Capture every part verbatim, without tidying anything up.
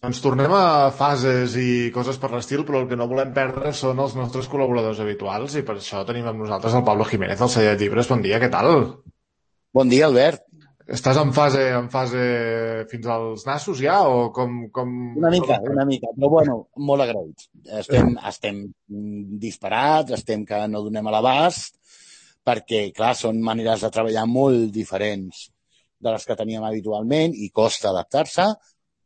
Ens tornem a fases i coses per l'estil, però el que no volem perdre són els nostres col·laboradors habituals i per això tenim amb nosaltres el Pablo Jiménez, el celler de llibres. Bon dia, què tal? Bon dia, Albert. Estàs en fase en fase fins als nassos ja o com, com, Una com mica, estàs? una mica, però bueno, molt agraïts. Estem, estem disparats, estem que no donem a l'abast, perquè, clar, són maneres de treballar molt diferents de les que teníem habitualment i costa adaptar-se,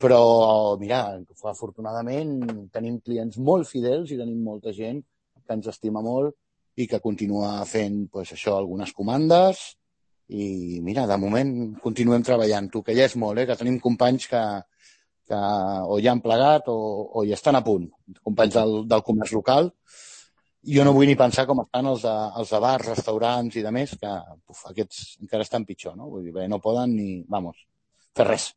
però, mira, afortunadament tenim clients molt fidels i tenim molta gent que ens estima molt i que continua fent, pues, això, algunes comandes i, mira, de moment continuem treballant. Tu, que ja és molt, eh? Que tenim companys que, que o ja han plegat o, o hi estan a punt, companys del, del comerç local. Jo no vull ni pensar com estan els de, els de bars, restaurants i de més, que uf, aquests encara estan pitjor, no? Vull dir, bé, no poden ni, vamos, fer res.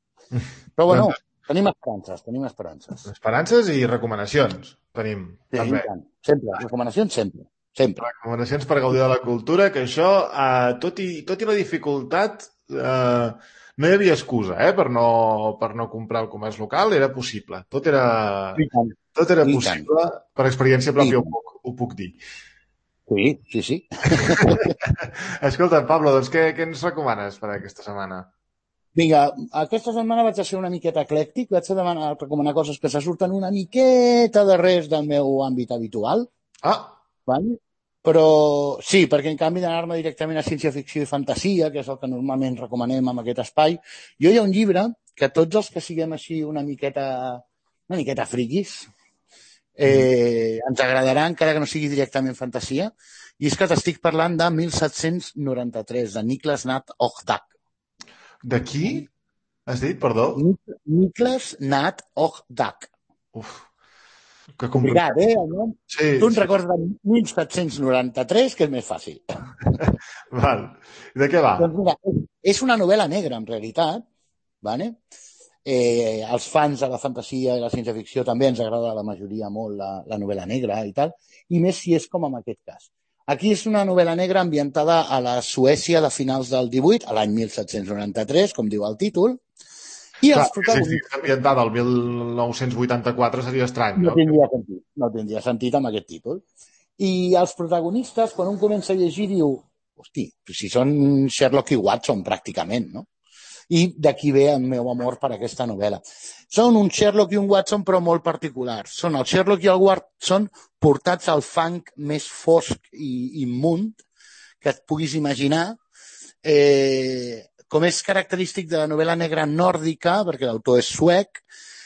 Però bueno, Doncs tenim esperances, tenim esperances. esperances i recomanacions tenim, Sí, i també. tant. Sempre, recomanacions sempre, sempre. Recomanacions per gaudir de la cultura, que això, eh, tot, i, tot i la dificultat, eh, no hi havia excusa, eh, per no, per no comprar el comerç local, era possible. Tot era, I tant, tot era i tant, possible, per experiència i pròpia ho tant. puc, ho puc dir. Sí, sí, sí. Escolta, Pablo, doncs què, què ens recomanes per aquesta setmana? Vinga, aquesta setmana vaig a ser una miqueta eclèctic, vaig a demanar, recomanar coses que se surten una miqueta de res del meu àmbit habitual, Ah, val? Però sí, perquè en canvi d'anar-me directament a ciència-ficció i fantasia, que és el que normalment recomanem en aquest espai, jo hi ha un llibre que tots els que siguem així una miqueta, una miqueta friquis, mm, eh, ens agradarà, encara que no sigui directament fantasia, i és que t'estic parlant de mil set-cents noranta-tres, de Niklas Nat Ogdag. de qui has dit, perdó? Nik- Niklas Nat Ogdag. Uf, que Complicat, complicat. eh, el nom? Tu Sí, en sí. recordes de mil set-cents noranta-tres, que és més fàcil. Val. De què va? Doncs mira, és una novel·la negra, en realitat, vale? Eh, als fans de la fantasia i la ciència-ficció també ens agrada a la majoria molt la, la novel·la negra i tal, i més si és com en aquest cas. Aquí és una novel·la negra ambientada a la Suècia de finals del divuit, a l'any mil set-cents noranta-tres, com diu el títol, i Clar, els que si protagonistes estigués ambientada al mil nou-cents vuitanta-quatre seria estrany, no no? tindria sentit, no tindria sentit amb aquest títol. I els protagonistes, quan un comença a llegir, diu, hosti, si són Sherlock i Watson, pràcticament, no? I d'aquí ve el meu amor per aquesta novel·la. Són un Sherlock i un Watson, però molt particulars. Són el Sherlock i el Watson portats al fang més fosc i immund que et puguis imaginar. Eh, com és característic de la novel·la negra nòrdica, perquè l'autor és suec,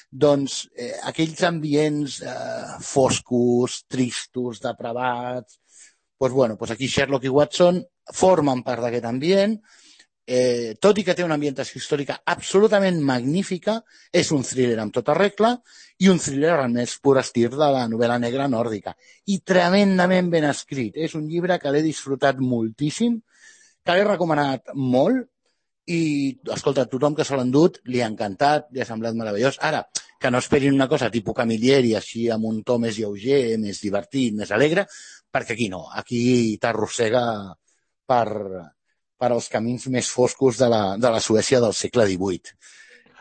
doncs eh, aquells ambients eh, foscos, tristos, depravats, doncs, bueno, doncs aquí Sherlock i Watson formen part d'aquest ambient. Eh, tot i que té una ambientació històrica absolutament magnífica, és un thriller amb tota regla i un thriller al més pur estil de la novel·la negra nòrdica. I tremendament ben escrit. És un llibre que l'he disfrutat moltíssim, que l'he recomanat molt i, escolta, tothom que se l'ha endut li ha encantat, li ha semblat meravellós. Ara, que no esperin una cosa tipus Camilleri, així amb un to més lleuger, més divertit, més alegre, perquè aquí no. Aquí t'arrossega per per als camins més foscos de la, de la Suècia del segle divuit.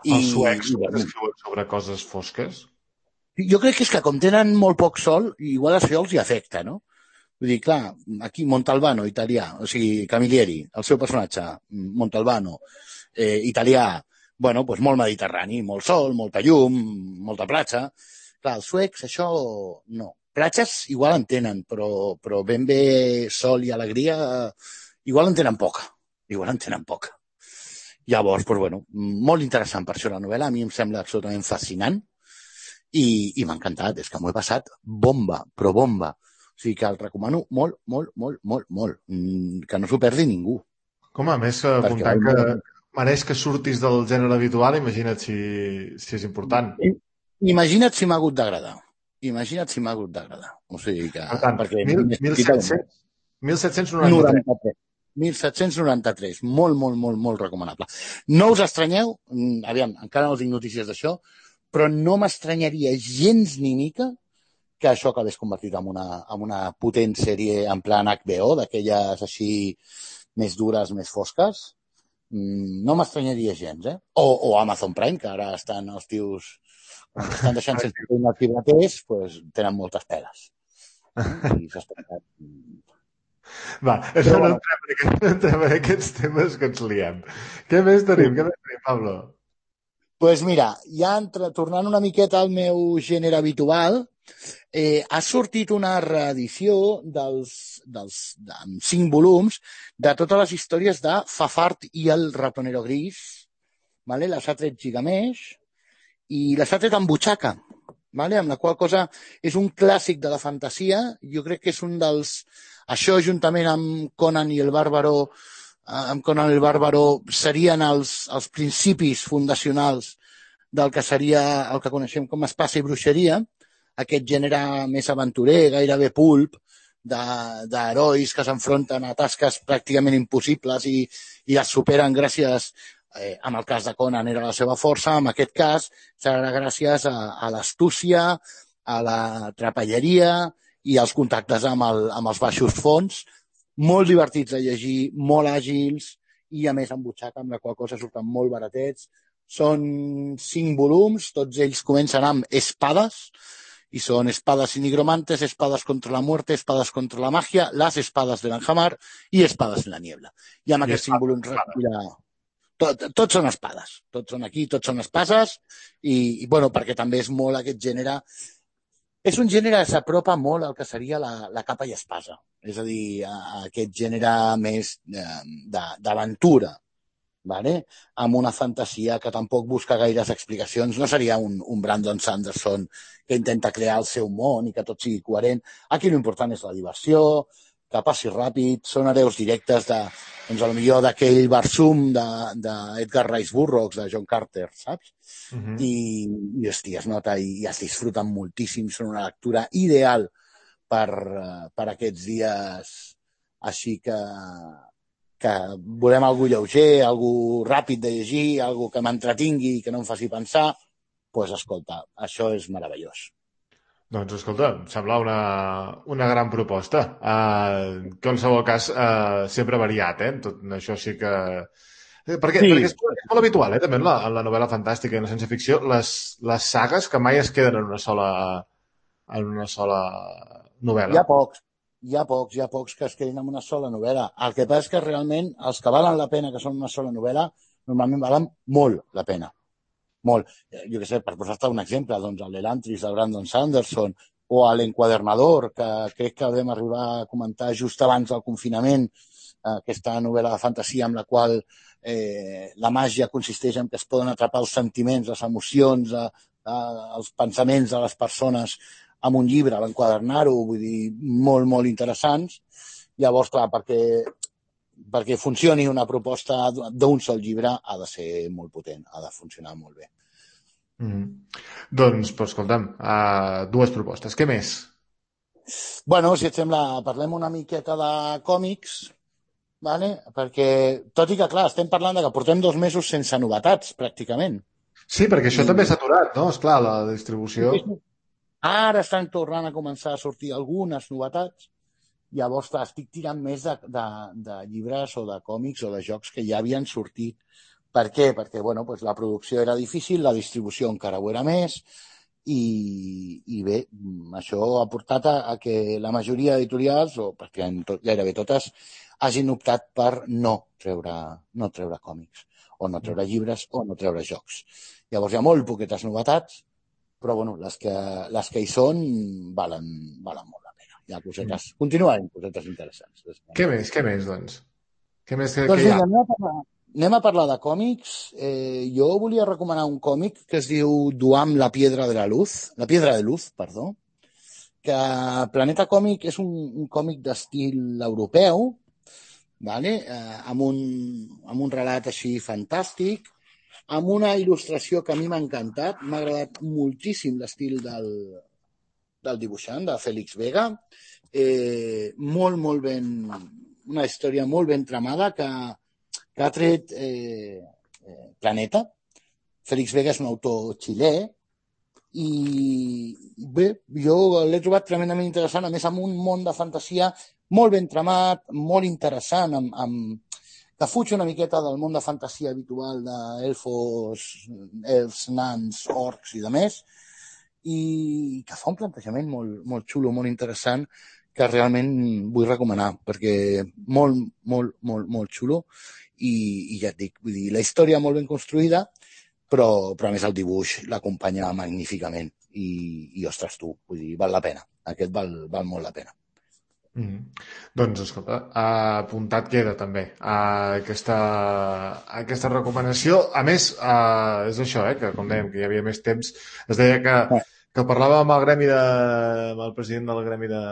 I, Els suecs i bueno, escriuen sobre coses fosques? jo crec que és que com tenen molt poc sol, igual això els hi afecta, no? Vull dir, clar, aquí Montalbano, italià, o sigui, Camilleri, el seu personatge, Montalbano, eh, italià, bueno, doncs molt mediterrani, molt sol, molta llum, molta platja. Clar, els suecs això no. Platges igual en tenen, però, però ben bé sol i alegria igual en tenen poca. Igual en tenen poca. Llavors, doncs, bueno, molt interessant per això la novel·la, a mi em sembla absolutament fascinant i, i m'ha encantat, és que m'ho he passat bomba, però bomba. O sigui que el recomano molt, molt, molt, molt, molt. Mm, que no s'ho perdi ningú. Com a més, que Perquè apuntant val que molt la pena. mereix que surtis del gènere habitual, imagina't si, si és important. Imagina't si m'ha hagut d'agradar. Imagina't si m'ha hagut d'agradar. O sigui que... Per tant, Perquè mil, m'he mil sentit a bomba. set-cents mil set-cents noranta-tres. noranta-tres. mil set-cents noranta-tres. Molt, molt, molt, molt recomanable. No us estranyeu, aviam, encara no tinc notícies d'això, però no m'estranyaria gens ni mica que això acabés convertit en una, en una potent sèrie en plan H B O, d'aquelles així més dures, més fosques, no m'estranyaria gens, eh? O, o Amazon Prime, que ara estan els tios, quan estan deixant sense feina els llibreters, pues, tenen moltes peles. Eh? I s'estan... Va, això no entrem, en, no entrem en aquests temes que ens liem. Què més tenim? Què més tenim, Pablo? Doncs pues mira, ja entre, tornant una miqueta al meu gènere habitual, eh, ha sortit una reedició dels, dels, de, amb cinc volums de totes les històries de Fafard i el ratonero gris, vale? Les ha tret Gigamesh i les ha tret amb butxaca, vale? Amb la qual cosa és un clàssic de la fantasia. Jo crec que és un dels... Això, juntament amb Conan i el Bàrbaro, amb Conan el Bàrbaro, serien els, els principis fundacionals del que seria el que coneixem com espasa i bruixeria, aquest gènere més aventurer, gairebé pulp, d'herois que s'enfronten a tasques pràcticament impossibles i, i les superen gràcies, eh, en el cas de Conan era la seva força, en aquest cas serà gràcies a, a l'astúcia, a la trapelleria i als contactes amb, el, amb els baixos fons, molt divertits de llegir, molt àgils i a més amb butxaca, amb la qual cosa surten molt baratets. Són cinc volums, tots ells comencen amb espades, y son espadas y nigromantes, espadas contra la muerte, espadas contra la magia, las espadas de l'Anhamar i espadas en la niebla. I amb aquests cinc volums recull... Tot, tots són espades, tots són aquí, tots són espases i, i bueno, perquè també és molt aquest gènere. És un gènere que s'apropa molt al que seria la, la capa i espasa, és a dir, a, a aquest gènere més d'aventura, vale? Amb una fantasia que tampoc busca gaires explicacions. No seria un, un Brandon Sanderson que intenta crear el seu món i que tot sigui coherent. Aquí l'important és la diversió, que passi ràpid, són hereus directes de, doncs, potser d'aquell Barsum d'Edgar Rice Burroughs, de John Carter, saps? Uh -huh. I, i, hòstia, es nota i, i es disfruten moltíssim. Són una lectura ideal per, per aquests dies així que que volem algú lleuger, algú ràpid de llegir, algú que m'entretingui i que no em faci pensar, doncs, pues, escolta, això és meravellós. Doncs, escolta, em sembla una, una gran proposta. Uh, en qualsevol cas, uh, sempre variat, eh? Tot això sí que... Perquè, sí. perquè és, és molt habitual, eh? També en la, en la novel·la fantàstica i en la ciència-ficció, les, les sagues que mai es queden en una sola, en una sola novel·la. Hi ha pocs. Hi ha pocs, hi ha pocs que es quedin en una sola novel·la. El que passa és que realment els que valen la pena, que són una sola novel·la, normalment valen molt la pena. Molt. Jo què sé, per posar-te un exemple, doncs el Elantris de Brandon Sanderson o l'Enquadernador, que crec que vam arribar a comentar just abans del confinament, aquesta novel·la de fantasia amb la qual eh, la màgia consisteix en que es poden atrapar els sentiments, les emocions, eh, eh, els pensaments de les persones amb un llibre, l'enquadernar-ho, vull dir, molt, molt interessants. Llavors, clar, perquè, perquè funcioni una proposta d'un sol llibre ha de ser molt potent, ha de funcionar molt bé. Mm. Doncs, però, escolta'm, uh, dues propostes. Què més? Bueno, si et sembla, parlem una miqueta de còmics, vale? Perquè, tot i que, clar, estem parlant de que portem dos mesos sense novetats, pràcticament. Sí, perquè això I... també s'ha aturat, no? Esclar, la distribució... Ara estan tornant a començar a sortir algunes novetats. Llavors, clar, estic tirant més de, de, de llibres o de còmics o de jocs que ja havien sortit. Per què? Perquè, bueno, doncs la producció era difícil, la distribució encara ho era més, i, i bé, això ha portat a, a que la majoria d'editorials, o pràcticament tot, gairebé totes, hagin optat per no treure, no treure còmics, o no treure llibres, o no treure jocs. Llavors hi ha molt poquetes novetats, però bueno, les que, les que hi són valen, valen molt la pena. Hi ha cosetes, mm. continuen cosetes interessants. Què més, què més, doncs? Què més que, doncs que hi ha? Mira, anem, a parlar, anem a parlar de còmics. Eh, jo volia recomanar un còmic que es diu Duam, la piedra de la luz, la piedra de luz, perdó, que Planeta Còmic és un, un còmic d'estil europeu, vale? eh, amb, un, amb un relat així fantàstic, amb una il·lustració que a mi m'ha encantat. M'ha agradat moltíssim l'estil del, del dibuixant, de Félix Vega. Eh, molt, molt ben... Una història molt ben tramada que, que ha tret eh, eh, Planeta. Félix Vega és un autor xilè i bé, jo l'he trobat tremendament interessant, a més amb un món de fantasia molt ben tramat, molt interessant, amb, amb que fuig una miqueta del món de fantasia habitual d'elfos, elfs, nans, orcs i de més, i que fa un plantejament molt, molt xulo, molt interessant, que realment vull recomanar, perquè molt, molt, molt, molt xulo, i, i ja et dic, vull dir, la història molt ben construïda, però, però a més el dibuix l'acompanya magníficament, i, i ostres tu, vull dir, val la pena, aquest val, val molt la pena. Mm -hmm. Doncs, escolta, apuntat queda també a aquesta, a aquesta recomanació. A més, uh, és això, eh, que com dèiem, que hi havia més temps, es deia que, que parlava amb el gremi de, amb el president del gremi de,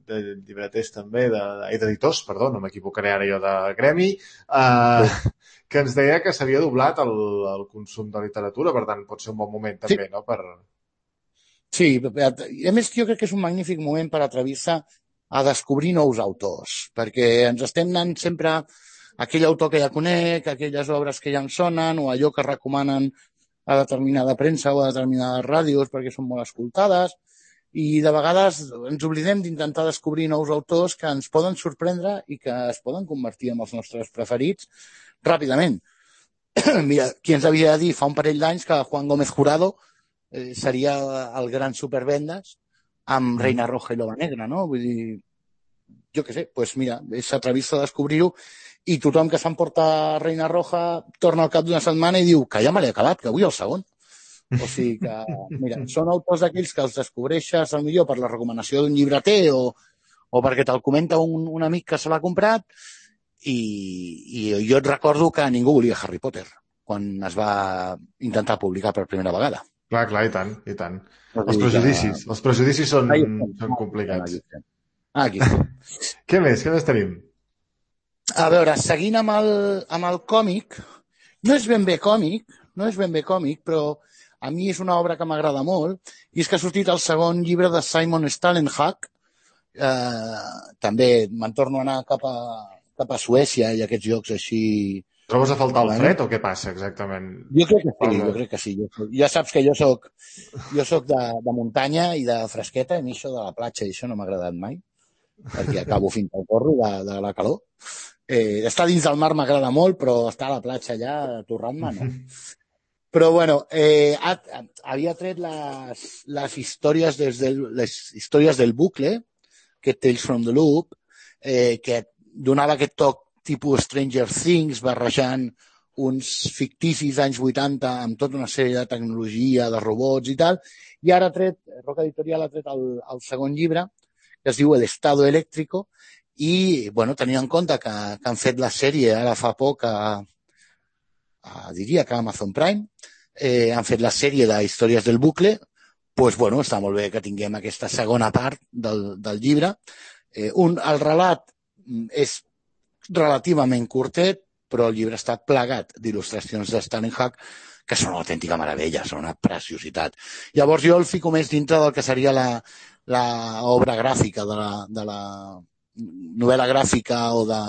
de llibreters també, d'editors, perdó, no m'equivocaré ara jo de gremi, uh, sí. que ens deia que s'havia doblat el, el consum de literatura, per tant, pot ser un bon moment també, sí. no? Per... Sí, a més jo crec que és un magnífic moment per atrevir-se a descobrir nous autors, perquè ens estem anant sempre a aquell autor que ja conec, aquelles obres que ja em sonen, o allò que recomanen a determinada premsa o a determinades ràdios perquè són molt escoltades, i de vegades ens oblidem d'intentar descobrir nous autors que ens poden sorprendre i que es poden convertir en els nostres preferits ràpidament. Mira, qui ens havia de dir fa un parell d'anys que Juan Gómez Jurado eh, seria el gran supervendes amb Reina Roja i Loba Negra, no? Vull dir, jo què sé, doncs pues mira, és atrevir-se a descobrir-ho i tothom que s'emporta Reina Roja torna al cap d'una setmana i diu que ja me l'he acabat, que vull el segon. O sigui que, mira, són autors d'aquells que els descobreixes al millor per la recomanació d'un llibreter o, o perquè te'l comenta un, un amic que se l'ha comprat i, i jo et recordo que ningú volia Harry Potter quan es va intentar publicar per primera vegada. Clar, clar, i tant, i tant. Els prejudicis, els prejudicis són, són complicats. Ah, aquí. Què més? Què més tenim? A veure, seguint amb el, amb el còmic, no és ben bé còmic, no és ben bé còmic, però a mi és una obra que m'agrada molt, i és que ha sortit el segon llibre de Simon Stalenhag. Eh, també me'n torno a anar cap a, cap a Suècia i aquests llocs així... Trobes a faltar el fred o què passa exactament? Jo crec que sí, jo crec que sí. Ja saps que jo soc, jo soc de, de muntanya i de fresqueta, i a mi això de la platja i això no m'ha agradat mai, perquè acabo fins al gorro de, de la calor. Eh, estar dins del mar m'agrada molt, però estar a la platja allà torrant-me, no. Però, bueno, eh, havia tret les, les històries des del, les històries del bucle, que Tales from the Loop, eh, que donava aquest toc tipus Stranger Things, barrejant uns ficticis anys vuitanta amb tota una sèrie de tecnologia, de robots i tal, i ara ha tret, Roca Editorial ha tret el, el segon llibre, que es diu El Estado Eléctrico, i, bueno, tenint en compte que, que han fet la sèrie ara fa poc a, a diria que a Amazon Prime, eh, han fet la sèrie de històries del bucle, doncs, bueno, està molt bé que tinguem aquesta segona part del, del llibre. Eh, un, el relat és relativament curtet, però el llibre està plagat d'il·lustracions de Stalenhag que són una autèntica meravella, són una preciositat. Llavors jo el fico més dintre del que seria la, la obra gràfica, de la, de la novel·la gràfica o, de,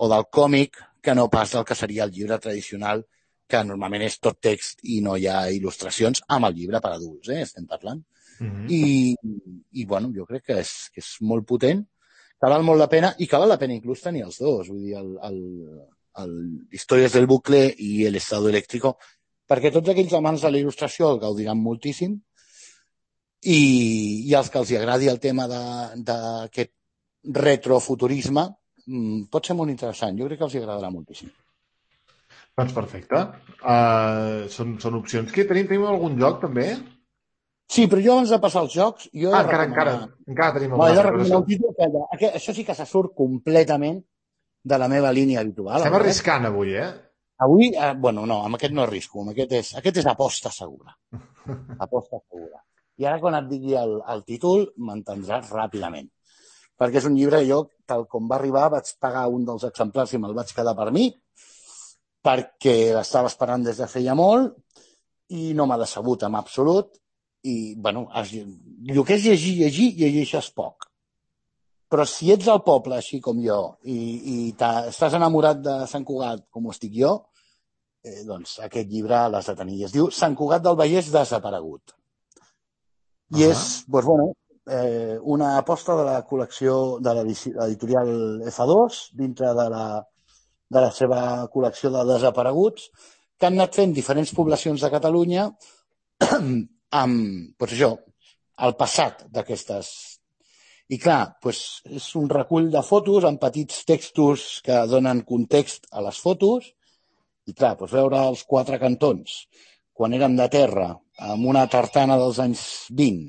o del còmic, que no pas del que seria el llibre tradicional, que normalment és tot text i no hi ha il·lustracions, amb el llibre per adults, eh, estem parlant. Mm-hmm. I, i, bueno, jo crec que és, que és molt potent, que val molt la pena, i que val la pena inclús tenir els dos, vull dir, el, el, el Històries del bucle i El Estado Eléctrico, perquè tots aquells amants de la il·lustració el gaudiran moltíssim, i, i els que els agradi el tema d'aquest retrofuturisme pot ser molt interessant, jo crec que els agradarà moltíssim. Doncs perfecte. Uh, són, són opcions. Què tenim? Tenim algun joc, també? Sí, però jo abans de passar als jocs... Jo ah, encara, encara, encara tenim algun joc. No, un títol que, que, això sí que se surt completament de la meva línia habitual. Estem arriscant avui, eh? Avui, eh, bueno, no, amb aquest no arrisco. Amb aquest és, aquest és aposta segura. Aposta segura. I ara quan et digui el, el títol m'entendràs ràpidament. Perquè és un llibre que jo, tal com va arribar, vaig pagar un dels exemplars i me'l vaig quedar per mi, perquè l'estava esperant des de feia molt i no m'ha decebut en absolut. I, bueno, el que és llegir, llegir, llegeixes poc. Però si ets al poble, així com jo, i, i estàs enamorat de Sant Cugat, com ho estic jo, eh, doncs aquest llibre l'has de tenir. Es diu Sant Cugat del Vallès desaparegut. I uh-huh. és, doncs, bueno, eh, una aposta de la col·lecció de l'editorial efa dos, dintre de la de la seva col·lecció de desapareguts, que han anat fent diferents poblacions de Catalunya amb, doncs això, el passat d'aquestes. I clar, doncs és un recull de fotos amb petits textos que donen context a les fotos i clar, doncs veure els quatre cantons quan érem de terra amb una tartana dels anys vint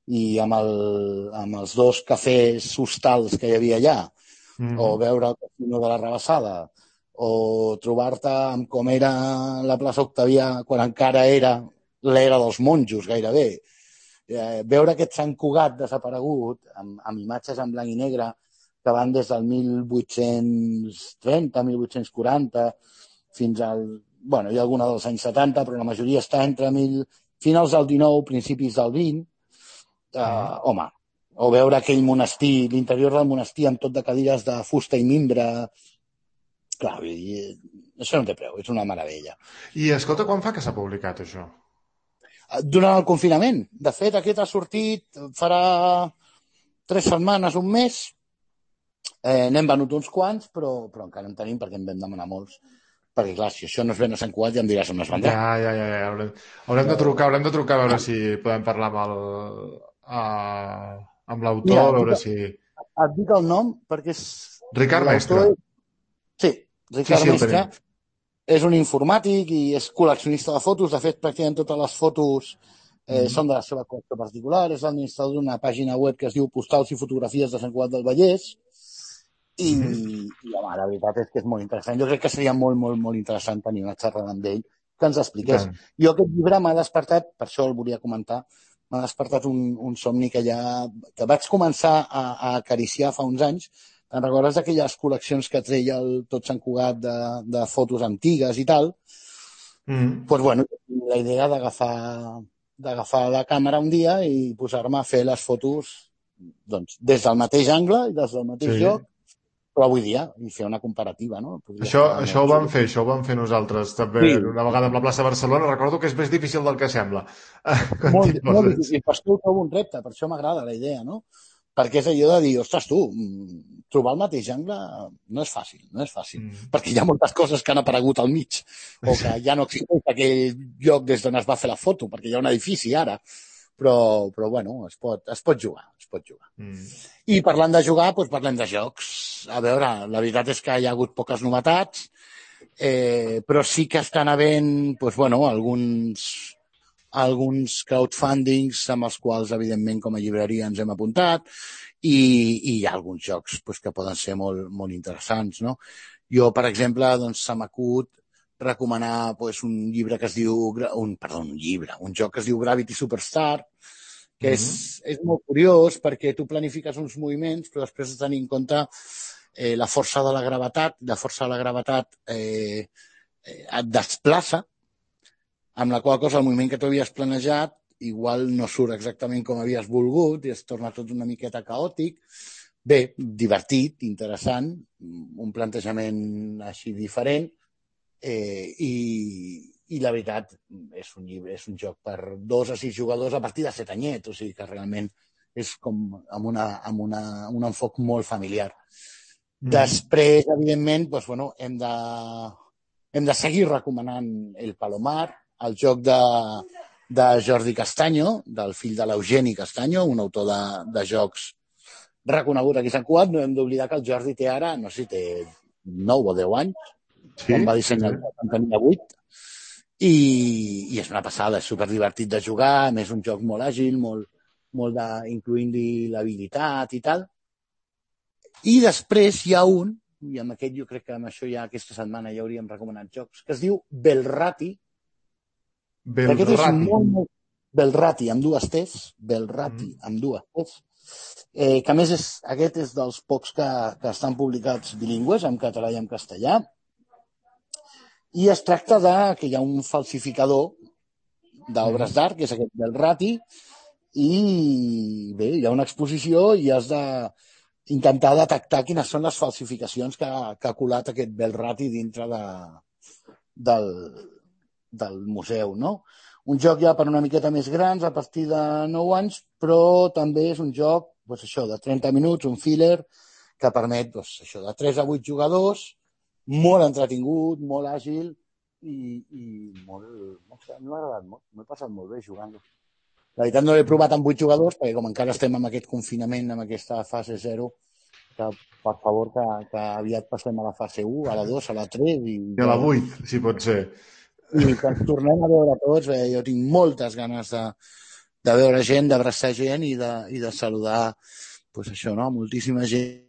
i amb, el, amb els dos cafès hostals que hi havia allà, mm-hmm. o veure el Casino de la Rabassada, o trobar-te amb com era la plaça Octavià quan encara era l'era dels monjos gairebé. Eh, veure aquest Sant Cugat desaparegut amb, amb imatges en blanc i negre que van des del mil vuit-cents trenta, mil vuit-cents quaranta fins al... Bueno, hi ha alguna dels anys setanta, però la majoria està entre mil, finals del dinou, principis del vint. Eh, mm. Home, o veure aquell monestir, l'interior del monestir amb tot de cadires de fusta i mimbre. Clar, i, això no té preu, és una meravella. I escolta, quan fa que s'ha publicat això? Durant el confinament. De fet, aquest ha sortit, farà tres setmanes, un mes. Eh, N'hem venut uns quants, però, però encara en tenim perquè en vam demanar molts. Perquè, clar, si això no es ven a Sant Cugat ja em diràs on es vendrà. Ja, ja, ja. ja. Haurem, haurem de trucar, haurem de trucar a veure si podem parlar amb el, a, amb l'autor, a veure si... Et dic el nom perquè és... Ricard Mestre. Sí, Ricard sí, sí, Mestre. És un informàtic i és col·leccionista de fotos. De fet, pràcticament totes les fotos eh, mm. són de la seva col·lecció particular. És l'administrador d'una pàgina web que es diu Postals i fotografies de Sant Cugat del Vallès. I, mm. i home, la veritat és que és molt interessant. Jo crec que seria molt, molt, molt interessant tenir una xerrada amb ell que ens expliqués. Mm. Jo aquest llibre m'ha despertat, per això el volia comentar, m'ha despertat un, un somni que ja que vaig començar a, a acariciar fa uns anys. Te'n recordes d'aquelles col·leccions que treia el Tot Sant Cugat de, de fotos antigues i tal? Mm. Pues bueno, la idea d'agafar d'agafar la càmera un dia i posar-me a fer les fotos doncs, des del mateix angle i des del mateix sí. lloc, però avui dia, i fer una comparativa, no? Podria això això ho vam fer, això ho vam fer nosaltres també sí. una vegada amb la plaça de Barcelona. Recordo que és més difícil del que sembla. Molt, molt difícil, per això ho trobo un repte, per això m'agrada la idea, no? Perquè és allò de dir, ostres, tu, trobar el mateix angle no és fàcil, no és fàcil, mm. perquè hi ha moltes coses que han aparegut al mig, o que ja no existeix aquell lloc des d'on es va fer la foto, perquè hi ha un edifici ara, però, però bueno, es pot, es pot jugar, es pot jugar. Mm. I parlant de jugar, doncs parlem de jocs. A veure, la veritat és que hi ha hagut poques novetats, eh, però sí que estan havent, doncs bueno, alguns... alguns crowdfundings amb els quals, evidentment, com a llibreria ens hem apuntat i, i hi ha alguns jocs pues, que poden ser molt, molt interessants, no? Jo, per exemple, doncs, se m'acut recomanar pues, un llibre que es diu... Un, perdó, un llibre, un joc que es diu Gravity Superstar, que mm-hmm. és, és molt curiós perquè tu planifiques uns moviments, però després de tenir en compte eh, la força de la gravetat, la força de la gravetat eh, eh, et desplaça, amb la qual cosa el moviment que tu havies planejat igual no surt exactament com havies volgut i es torna tot una miqueta caòtic. Bé, divertit, interessant, un plantejament així diferent eh, i, i la veritat és un, llibre, és un joc per dos a sis jugadors a partir de set anyets, o sigui que realment és com amb, una, amb una, un enfoc molt familiar. Mm. Després, evidentment, doncs, bueno, hem, de, hem de seguir recomanant el Palomar, el joc de, de Jordi Castanyo, del fill de l'Eugeni Castanyo, un autor de, de jocs reconegut aquí a Sant Cugat. No hem d'oblidar que el Jordi té ara, no sé si té nou o deu anys, sí, quan va dissenyar sí. el tenia vuit, i, i és una passada, és superdivertit de jugar, a més un joc molt àgil, molt, molt de, incloent-hi l'habilitat i tal. I després hi ha un, i amb aquest jo crec que amb això ja aquesta setmana ja hauríem recomanat jocs, que es diu Belrati. Belrati. Aquest és molt, molt... Belrati, amb dues T's. Belrati, mm. amb dues T's. Eh, que a més és, aquest és dels pocs que, que estan publicats bilingües, en català i en castellà. I es tracta de que hi ha un falsificador d'obres mm. d'art, que és aquest Belrati, i bé, hi ha una exposició i has de intentar detectar quines són les falsificacions que, que ha colat aquest Belrati dintre de, del... del museu, no? Un joc ja per una miqueta més grans, a partir de nou anys, però també és un joc, doncs això, de trenta minuts, un filler, que permet, doncs això, de tres a vuit jugadors, molt entretingut, molt àgil i, i molt, no sé, m'ha agradat molt, m'he passat molt bé jugant-lo. La veritat no l'he provat amb vuit jugadors, perquè com encara estem en aquest confinament, en aquesta fase zero, que per favor que, que aviat passem a la fase u, a la dos, a la tres i, I a la vuit, si pot ser. i que ens tornem a veure tots. Bé, jo tinc moltes ganes de, de veure gent, d'abraçar gent i de, i de saludar, pues això, no? Moltíssima gent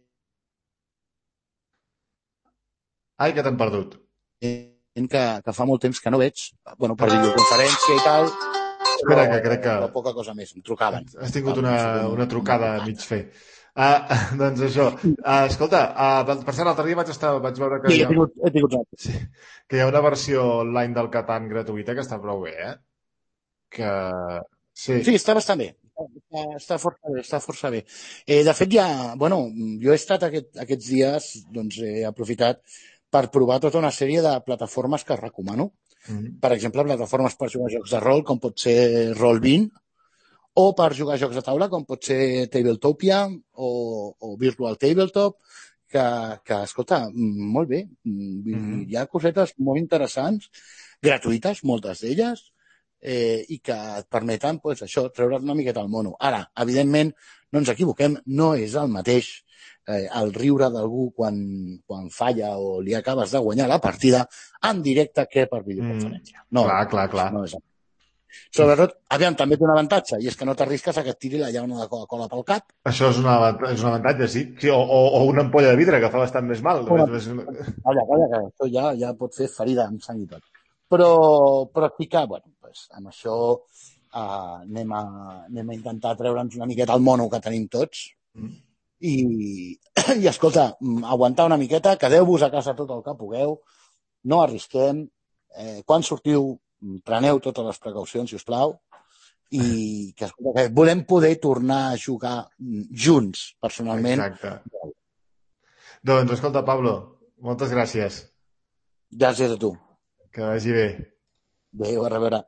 Ai, que t'hem perdut. que, que fa molt temps que no veig, bueno, per videoconferència i tal, Espera, que crec que... però poca cosa més, em trucaven. Has tingut una, una trucada a mig fer. Uh, doncs això. Uh, escolta, uh, per cert, l'altre dia vaig, estar, vaig veure que, Sí, hi he ha, tingut, he tingut sí, que hi ha una versió online del Catan gratuïta que està prou bé, eh? Que... Sí. Sí, està bastant bé. Està, està força bé, està força bé. Eh, de fet, ja, bueno, jo he estat aquest, aquests dies, doncs he aprofitat per provar tota una sèrie de plataformes que recomano. Mm-hmm. Per exemple, plataformes per jugar a jocs de rol, com pot ser roll vint, o per jugar a jocs de taula, com pot ser Tabletopia o, o Virtual Tabletop, que, que, escolta, molt bé. Mm-hmm. Hi ha cosetes molt interessants, gratuïtes, moltes d'elles, eh, i que et permeten, pues, això, treure't una miqueta al mono. Ara, evidentment, no ens equivoquem, no és el mateix eh, el riure d'algú quan, quan falla o li acabes de guanyar la partida en directe que per videoconferència. Mm, no, clar, clar, clar. No és el Sobretot, aviam, també té un avantatge, i és que no t'arrisques a que et tiri la llauna de Coca-Cola pel cap. Això és, una, és un avantatge, sí. sí o, o, o una ampolla de vidre, que fa bastant més mal. Una... Més... Calla, calla, que això ja, ja pot fer ferida amb sang i tot. Però, però sí que, bueno, pues, amb això uh, anem, a, anem a intentar treure'ns una miqueta el mono que tenim tots mm. i, i, escolta, aguantar una miqueta, quedeu-vos a casa tot el que pugueu, no arrisquem, eh, quan sortiu preneu totes les precaucions, si us plau, i que, escolta, que volem poder tornar a jugar junts, personalment. Exacte. Doncs, escolta, Pablo, moltes gràcies. Gràcies a tu. Que vagi bé. Adéu, a reveure.